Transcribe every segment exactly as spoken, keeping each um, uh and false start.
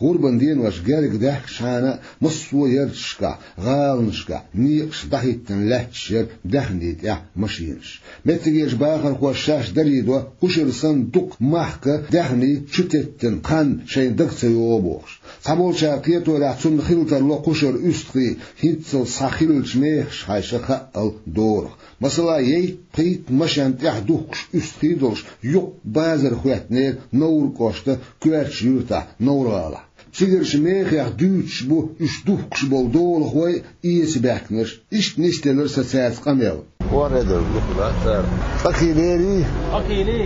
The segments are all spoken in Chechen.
ГӀурбан денош герга даьхкачхьана а массо а ярташкахь, гӀаланашкахь некъаш дӀахӀиттина лаьтташ яра даьхни тӀехь машинаш. Меттигерчу бахархоша шаьш дарийдо, кхушара санна дукха махка даьхни чу теттина хан шайна дага ца йогӀу бохуш. Цхьаболчара кхеторехь, цунна хила тарло кхушара уьстагӀий хӀинццалц схьа хиллачу мехаш хьаьжча хаъал дорах. Масала, ейт-пхийтта машен тӀехь духкуш уьстагӀий долуш юккъе базар хӀоьттинера Невран кӀоштан коьртачу юьртахь Невр-гӀалахь. Цигарчу мехех дуьйцуш бу уьш духкуш болу долахой а, эца баьхкинарш а. Иштта нисделира сан цаьрца къамел. ВорхӀе долу дукха дац цара. Ткъа кило ери? Ткъа кило?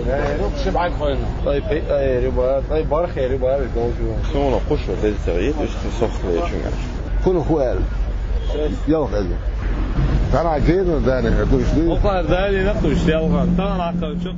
Э, ши бӀаьрг хойла. Ткъе пхи ери бара, ткъе бархӀ ери бара, долчу. Суна кхушара деза ца гӀийта, уьш кхин сохлечуьнгаш. ХӀунда хӀу аьлла? Ялх аьлла. Тахана генара дани дуьйцу дуй? Окхара дани нах дуьйцу, ялхан. Тахана хьакхарчу.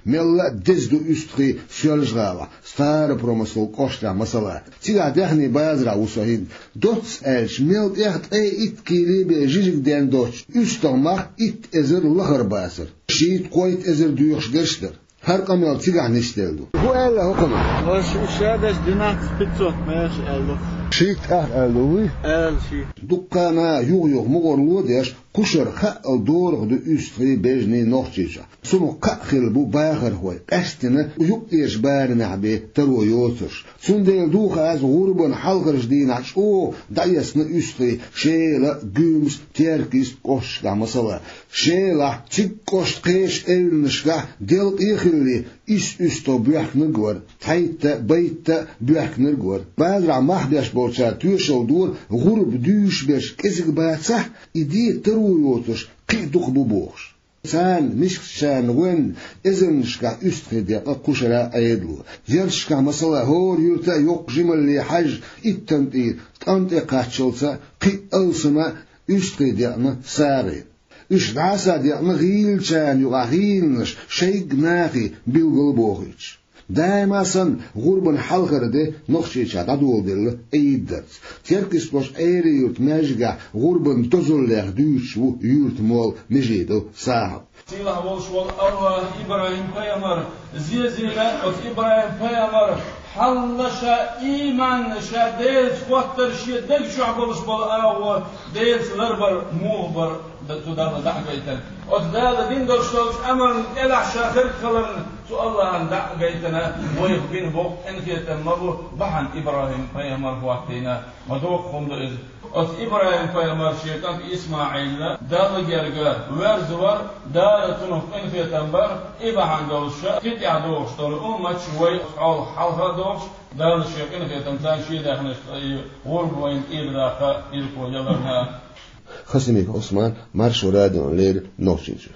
Мелла а деза ду уьстагӀий Соьлжа-ГӀалахь, Старопромыслан кӀоштахь масала. Цигахь даьхни базарахь ву со хӀинца. Доцца аьлча, мел тӀех ткъе итт кило бен жижиг ден доцчу уьстагӀ мах итт эзар лахара бацара. Шийтта-кхойтта эзар доьхуш дерш дара. ХӀара къамел цигахь нисделла ду. ХӀу аьлла хӀокхунах? Аша ша деш двенадцать пятьсот мегаш аьлла. Шийтта ах аьлла ду вуй? Аьлла шийтта. Дуккха а юха-юха мукъарло а деш, кхушара хаъал дорах ду уьстагӀий, бежанний Нохчийчохь. Цунах кхаъ хилла бу бахархой, къаьсттина юккъерчу барамехь бен таро йоцурш. Цундела ду хаза гӀурбан хьалхарчу дийнахь чӀогӀа дӀаэцна уьстагӀий Шела, Гуьмса, Теркйист кӀошташкахь масала. Шелахь, цига кӀоштан кхечу эвланашкахь делкъе а хилли, исс уьстагӀ боьхкинарг вара, цхьайтта, байтта а боьхкинарг вара. Базарахь мах беш болчара тоьшалла дора, гӀурба дуьйш берш кӀезиг бацахь а, и де таро йоцурш кхин а дукха бу бохуш. Царна, мискачарна гӀоьнна, эзарнашкахь уьстагӀий декъна кхушара Ӏедало. Ярташкахь масала, хӀора юьрта а йоккха жималле хьаьжжа, иттан тӀера ткъам тӀе кхаччалца кхин а алсама уьстагӀий декъна сагӀина. Уьш дӀаса а декъна, гӀийлачарна юкъахь гӀийланаш шайга а нахе билгал а бохуьйтуш. Даима санна, гӀурбан хьалхара де Нохчийчохь дӀадоладелла Ӏийда дарца. Теркйист кӀоштан Ӏери-Юьртан маьждигехь гӀурбан дозаллех дуьйцуш ву юьртан молла Межидов Сахьаб. Сийлахь волуш волу АллахӀ ИбрахӀим-пайхамар зезийна, оцу ИбрахӀим-пайхамар хьалха ша ийманна, ша Делаца хӀоттар шен даг чохь болуш болу агӀо Делаца ларбар муха бара. Д-, цу Далла дӀа а гайтина. Оцу Дала дина долуш долчу амална кӀелахь ша хиргхиларна, цу АллахӀна дӀа а гайтина, вайх бина боккха къинхетам ма бу, бахьана ИбрахӀим-пайхамар хӀоттийна, ма доккха хӀума ду иза. Оцу ИбрахӀим-пайхамар шен кӀант ИсмаӀил Далла герга верза вара, Дала цунах къинхетам бара, и бахьана долуш ша кхин тӀаьхьа догӀуш долу умматаш вай хьалха а догӀуш, Дала шен къинхетамца шен даьхнашца и гӀурба вайна тӀера даккха ирхо яларна. Хасимиков Ӏусман, Маршо радиона леррина, Нохчийчоь.